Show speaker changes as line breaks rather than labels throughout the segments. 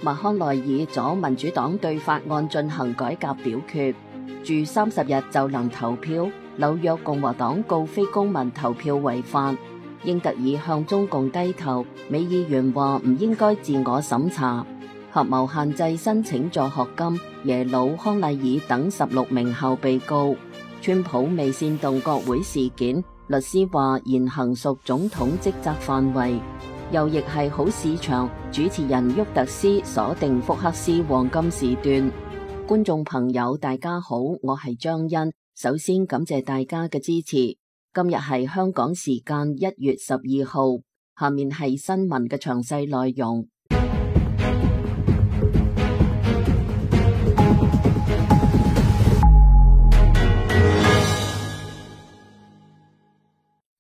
麥康奈爾阻民主黨對法案進行改革表決，住30日就能投票。紐約共和黨告非公民投票違法。英特爾向中共低頭，美議員話唔應該自我審查。合謀限制申請助學金，耶魯、康乃爾等16名校被告。川普未煽動國會事件，律師話言行屬總統職責範圍。又亦係好市場，主持人沃特斯鎖定福克斯黃金時段。觀眾朋友大家好，我係張欣。首先感謝大家嘅支持。今日係香港時間1月12號，下面係新聞嘅詳細內容。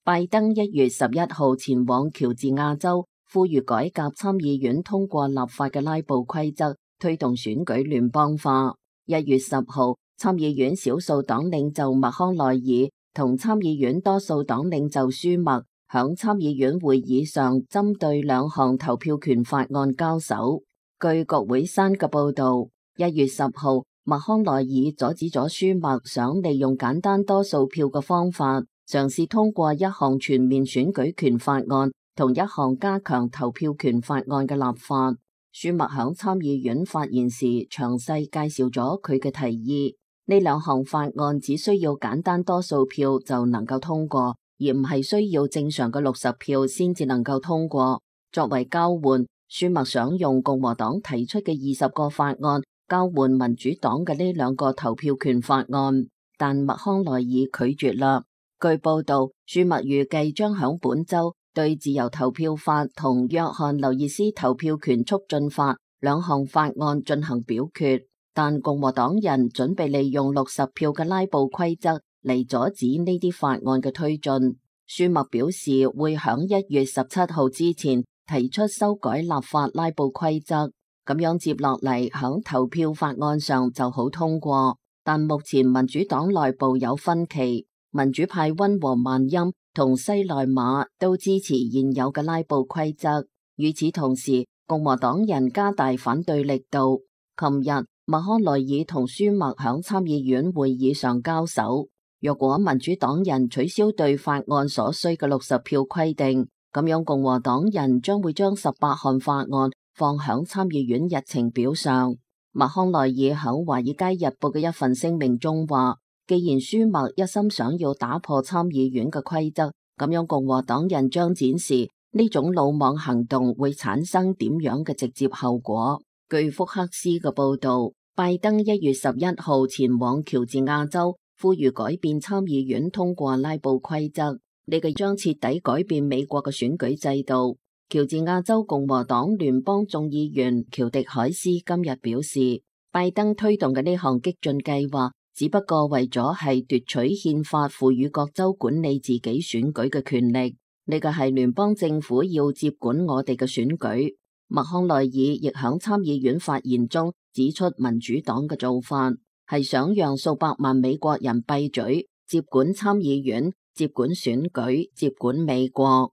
拜登1月11號前往喬治亞州，呼籲改革參議院通過立法嘅拉布規則，推動選舉聯邦化。1月10號，參議院少數黨領袖麥康奈爾同參議院多數黨領袖舒默響參議院會議上針對兩項投票權法案交手。據國會山嘅報道，1月10號，麥康奈爾阻止咗舒默想利用簡單多數票嘅方法，嘗試通過一項全面選舉權法案同一項加強投票權法案嘅立法。舒默響參議院發言時詳細介紹咗佢嘅提議。呢兩項法案只需要簡單多數票就能夠通過，而唔係需要正常嘅60票先至能夠通過。作為交換，舒默想用共和黨提出嘅20個法案交換民主黨嘅呢兩個投票權法案，但麥康奈爾拒絕啦。據報道，舒默預計將響本周對自由投票法同約翰劉易斯投票權促進法兩項法案進行表決，但共和黨人準備利用60票嘅拉布規則嚟阻止呢啲法案嘅推進。舒默表示會響1月17號之前提出修改立法拉布規則，咁樣接落嚟響投票法案上就好通過。但目前民主黨內部有分歧，民主派溫和曼欽同西內馬都支持現有嘅拉布規則。與此同時，共和黨人加大反對力度。琴日，麥康奈爾同舒默響參議院會議上交手。若果民主黨人取消對法案所需嘅60票規定，咁樣共和黨人將會將18項法案放響參議院日程表上。麥康奈爾響華爾街日報嘅一份聲明中話，既然舒默一心想要打破參議院嘅規則，咁樣共和黨人將展示呢種魯莽行動會產生點樣嘅直接後果。據福克斯嘅報道，拜登1月11號前往喬治亞州，呼籲改變參議院通過拉布規則，呢個將徹底改變美國嘅選舉制度。喬治亞州共和黨聯邦眾議員喬迪海斯今日表示，拜登推動嘅呢項激進計劃只不過為咗係奪取憲法賦予各州管理自己選舉嘅權力，呢個係聯邦政府要接管我哋嘅選舉。麥康奈爾亦響參議院發言中指出，民主黨嘅做法係想讓數百萬美國人閉嘴，接管參議院，接管選舉，接管美國。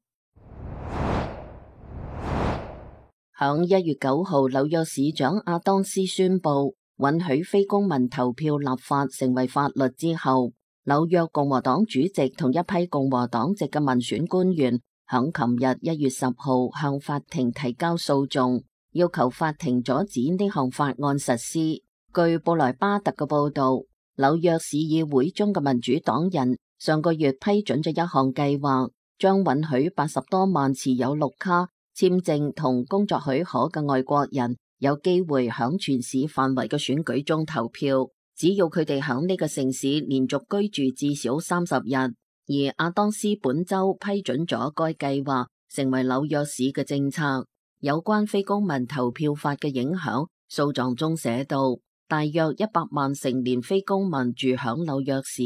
響1月9號，紐約市長阿當斯宣布允許非公民投票立法成為法律之後，紐約共和黨主席同一批共和黨籍嘅民選官員響琴日1月10號向法庭提交訴訟，要求法庭阻止呢項法案實施。據布萊巴特嘅報道，紐約市議會中嘅民主黨人上個月批准咗一項計劃，將允許80多萬持有綠卡、簽證同工作許可嘅外國人有機會響全市範圍嘅選舉中投票，只要佢哋響呢個城市連續居住至少30日。而阿當斯本周批准咗該計劃成為紐約市嘅政策。有關非公民投票法嘅影響，訴狀中寫道，大約100萬成年非公民住響紐約市，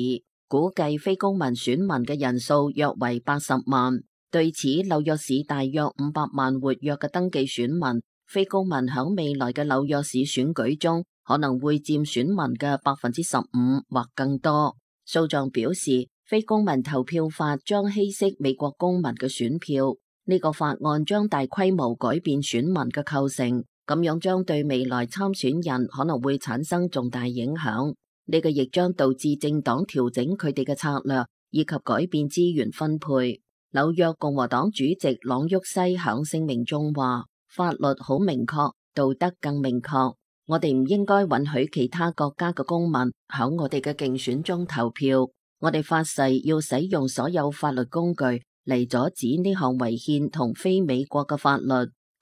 估計非公民選民嘅人數約為80萬。對此，紐約市大約500萬活躍嘅登記選民，非公民響未來嘅紐約市選舉中可能會佔選民嘅15%或更多。訴狀表示，非公民投票法將稀釋美國公民嘅選票，呢個法案將大規模改變選民嘅構成，咁樣將對未來參選人可能會產生重大影響。呢個亦將導致政黨調整佢哋嘅策略，以及改變資源分配。紐約共和黨主席朗沃西響聲明中話：法律好明確，道德更明確。我哋唔應該允許其他國家嘅公民響我哋嘅競選中投票。我哋發誓要使用所有法律工具嚟阻止呢項違憲同非美國嘅法律。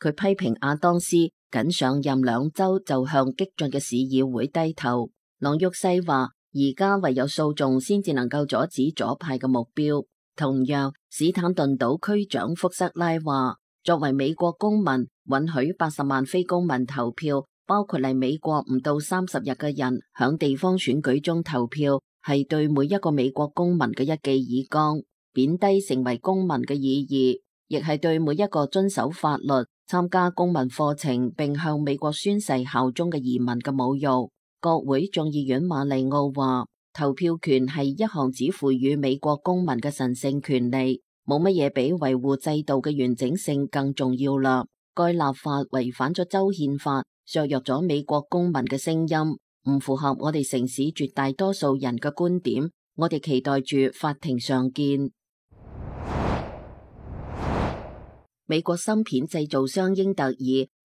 佢批評亞當斯僅上任2週就向激進嘅市議會低頭。朗沃西話：而家唯有訴訟先至能夠阻止左派嘅目標。同樣，史坦頓島區長福瑟拉話：作為美國公民，允許80萬非公民投票，包括嚟美國唔到30日嘅人，響地方選舉中投票，係對每一個美國公民嘅一記耳光，貶低成為公民嘅意義，亦係對每一個遵守法律、參加公民課程並向美國宣誓效忠嘅移民嘅侮辱。國會眾議院馬利奧話：投票權係一項只賦予美國公民嘅神聖權利，冇乜嘢比維護制度嘅完整性更重要啦。該立法違反咗州憲法，削弱咗美國公民嘅聲音，唔符合我哋城市絕大多數人嘅觀點。我哋期待住法庭上見。美國芯片製造商英特爾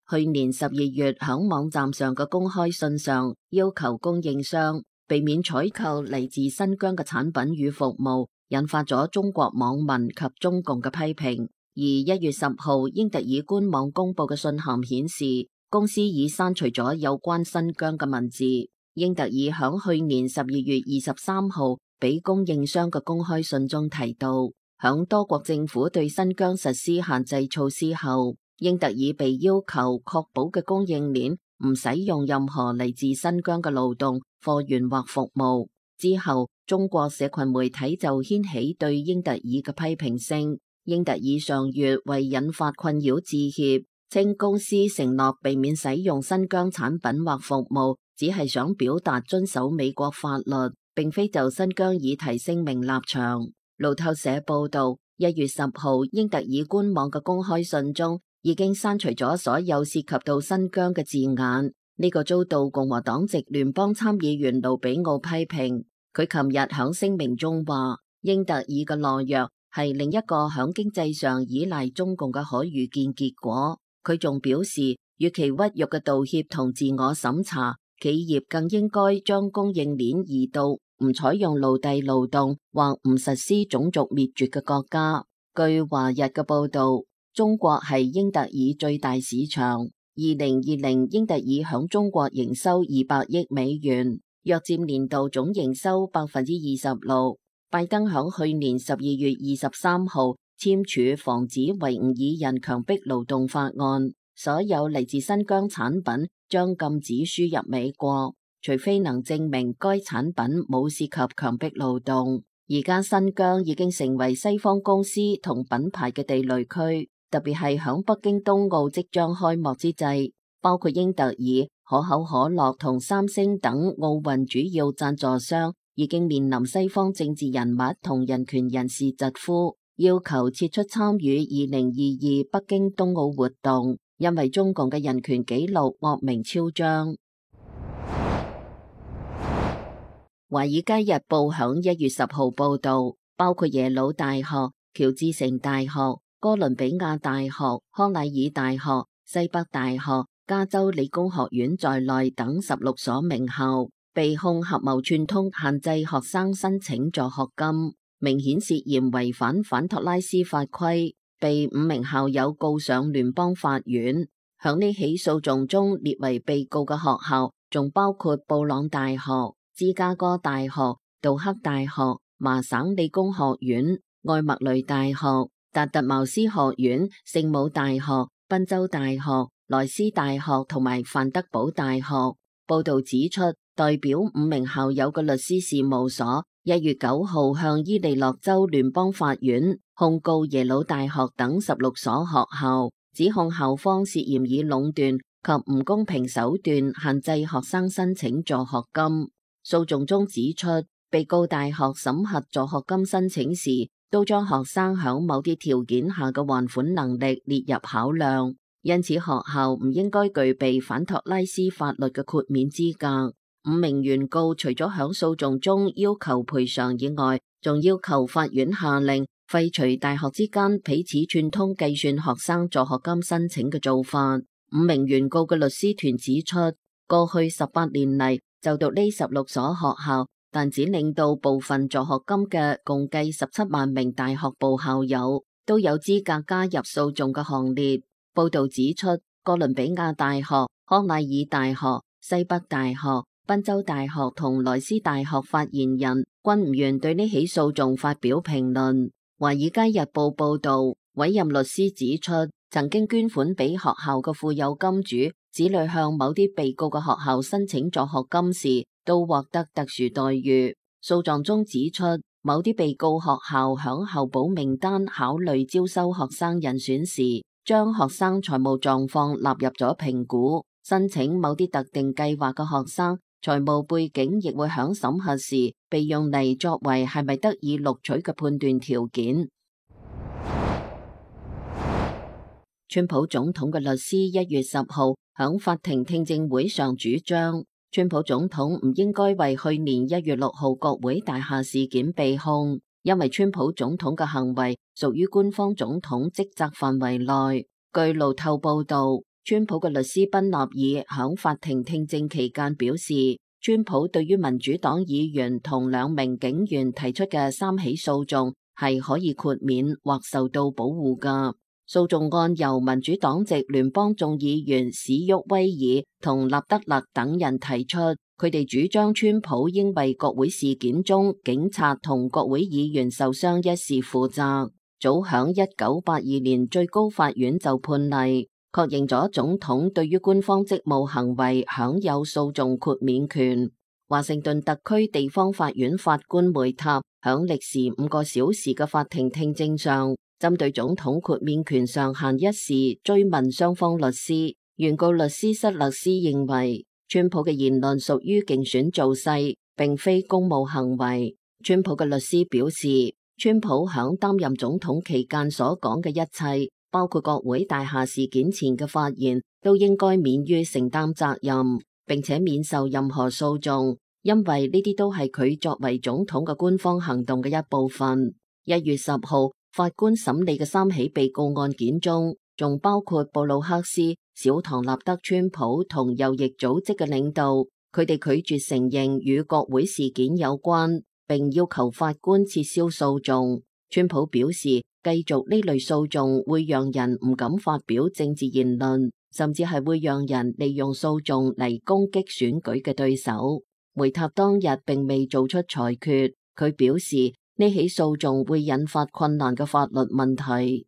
去年12月響網站上嘅公開信上，要求供應商避免採購嚟自新疆嘅產品與服務，引發咗中國網民及中共嘅批評。而1月10號，英特爾官網公布嘅信函顯示，公司已刪除咗有關新疆嘅文字。英特爾響去年12月23號俾供應商嘅公開信中提到，響多國政府對新疆實施限制措施後，英特爾被要求確保嘅供應鏈唔使用任何嚟自新疆嘅勞動、貨源或服務。之後，中國社群媒體就掀起對英特爾嘅批評聲。英特爾上月為引發困擾致歉，稱公司承諾避免使用新疆產品或服務，只係想表達遵守美國法律，並非就新疆議題聲明立場。路透社報道，1月10號，英特爾官網嘅公開信中已經刪除咗所有涉及到新疆嘅字眼。呢個遭到共和黨籍聯邦參議員盧比奧批評。佢琴日響聲明中話，英特爾嘅懦弱係另一個響經濟上依賴中共嘅可預見結果。佢仲表示，與其屈辱嘅道歉同自我審查，企業更應該將供應鏈移到唔採用奴隸勞動或唔實施種族滅絕嘅國家。據華日嘅報道，中國係英特爾最大市場。2020英特爾響中國營收200億美元，約佔年度總營收26%。拜登響去年12月23號簽署防止維吾爾人強迫勞動法案，所有嚟自新疆產品將禁止輸入美國，除非能證明該產品冇涉及強迫勞動。而家新疆已經成為西方公司同品牌嘅地雷區，特別係響北京冬奧即將開幕之際，包括英特爾、可口可樂同三星等奧運主要贊助商已經面臨西方政治人物同人權人士疾呼，要求撤出參與2022北京冬奧活動，因為中共嘅人權紀錄惡名昭彰。華爾街日報響1月10號報道，包括耶魯大學、喬治城大學、哥倫比亞大學、康乃爾大學、西北大學、加州理工學院在內等16所名校被控合謀串通限制學生申請助學金，明顯涉嫌違反反托拉斯法規，被5名校友告上聯邦法院。響呢起訴訟中列為被告嘅學校仲包括布朗大學、芝加哥大學、杜克大學、麻省理工學院、艾默雷大學、達特茅斯學院、聖母大學、賓州大學、萊斯大學同埋范德堡大學。報道指出，代表5名校友嘅律師事務所1月9號向伊利諾州聯邦法院控告耶魯大學等16所學校，指控校方涉嫌以壟斷及唔公平手段限制學生申請助學金。訴訟中指出，被告大學審核助學金申請時，都將學生響某啲條件下嘅還款能力列入考量。因此學校唔應該具備反托拉斯法律嘅豁免資格。5名原告除咗響訴訟中要求賠償以外，仲要求法院下令廢除大學之間彼此串通計算學生助學金申請嘅做法。5名原告嘅律師團指出，過去18年嚟就讀呢16所學校，但只領到部分助學金嘅共計17萬名大學部校友都有資格加入訴訟嘅行列。報道指出，哥倫比亞大學、康奈爾大學、西北大學、賓州大學同萊斯大學發言人均唔願對呢起訴訟發表評論。華爾街日報報道，委任律師指出，曾經捐款俾學校嘅富有金主子女向某啲被告嘅學校申請助學金時，都獲得特殊待遇。訴狀中指出，某啲被告學校響候補名單考慮招收學生人選時，將學生財務狀況納入咗評估。申請某啲特定計劃嘅學生財務背景亦會響審核時被用嚟作為係咪得以錄取嘅判斷條件。川普總統嘅律師1月10號響法庭聽證會上主張，川普總統唔應該為去年1月6號國會大廈事件被控，因為川普總統嘅行為屬於官方總統職責範圍內。據路透報道，川普嘅律師賓納爾響法庭聽證期間表示，川普對於民主黨議員同2名警員提出嘅3起訴訟係可以豁免或受到保護㗎。訴訟案由民主黨籍聯邦眾議員史沃威爾同納德勒等人提出，佢哋主張川普應為國會事件中警察同國會議員受傷一事負責。早響1982年，最高法院就判例，確認咗總統對於官方職務行為享有訴訟豁免權。華盛頓特區地方法院法官梅塔響歷時5個小時嘅法庭聽證上，針對總統豁免權上限一事追問雙方律師。原告律師塞勒斯認為，川普嘅言論屬於競選造勢，並非公務行為。川普嘅律師表示，川普響擔任總統期間所講嘅一切，包括國會大廈事件前嘅發言，都應該免於承擔責任，並且免受任何訴訟，因為呢啲都係佢作為總統嘅官方行動嘅一部分。1月10號，法官審理嘅3起被告案件中，仲包括布魯克斯、小唐納德、川普同右翼組織嘅領導，佢哋拒絕承認與國會事件有關，並要求法官撤銷訴訟。川普表示，繼續呢類訴訟會讓人唔敢發表政治言論，甚至係會讓人利用訴訟嚟攻擊選舉嘅對手。梅塔當日並未做出裁決，佢表示呢起訴訟會引發困難嘅法律問題。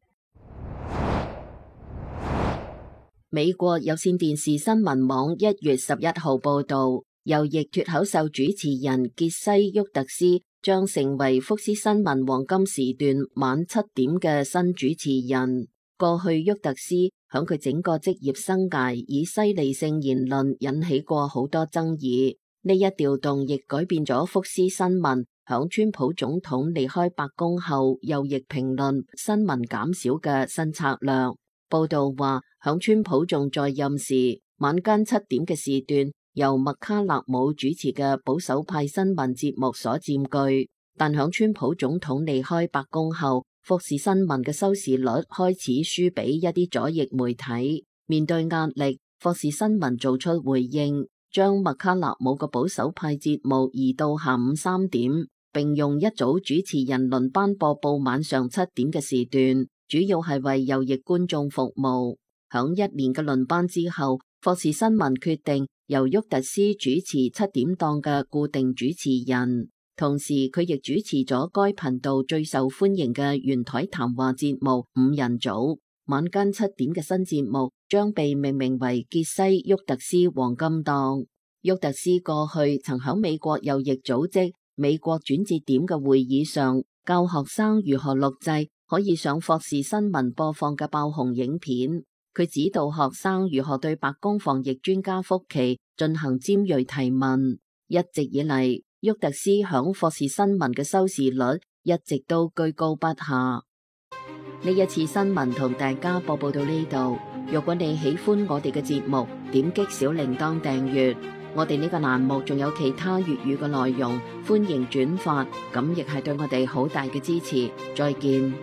美國有線電視新聞網1月11號報道，右翼脫口秀主持人傑西·沃特斯將成為福斯新聞黃金時段晚7點嘅新主持人。過去沃特斯響佢整個職業生涯以犀利性言論引起過好多爭議，呢一調動亦改變咗福斯新聞響川普總統離開白宮後右翼評論新聞減少嘅新策略。報道話，響川普仲在任時，晚間7點嘅時段由麥卡納姆主持嘅保守派新聞節目所佔據，但響川普總統離開白宮後，福斯新聞嘅收視率開始輸俾一啲左翼媒體。面對壓力，福斯新聞做出回應，將麥卡納姆嘅保守派節目移到下午3點，並用一組主持人輪班播報晚上7點嘅時段，主要係為右翼觀眾服務。響1年嘅輪班之後，福斯新聞決定由沃特斯主持7點檔嘅固定主持人，同時佢亦主持咗該頻道最受歡迎嘅圓台談話節目5人組。晚間7點嘅新節目將被命名為傑西·沃特斯黃金檔。沃特斯過去曾響美國右翼組織美國轉折點嘅會議上教學生如何錄製可以上霍士新聞播放嘅爆紅影片。佢指導學生如何對白宮防疫專家福奇進行尖銳提問。一直以嚟，沃特斯響霍士新聞嘅收視率一直都居高不下。呢一次新聞同大家播報到呢度。如果你喜歡我哋嘅節目，點擊小鈴鐺訂閱。我哋呢個欄目仲有其他粵語嘅內容，歡迎轉發，咁亦係對我哋好大嘅支持。再見。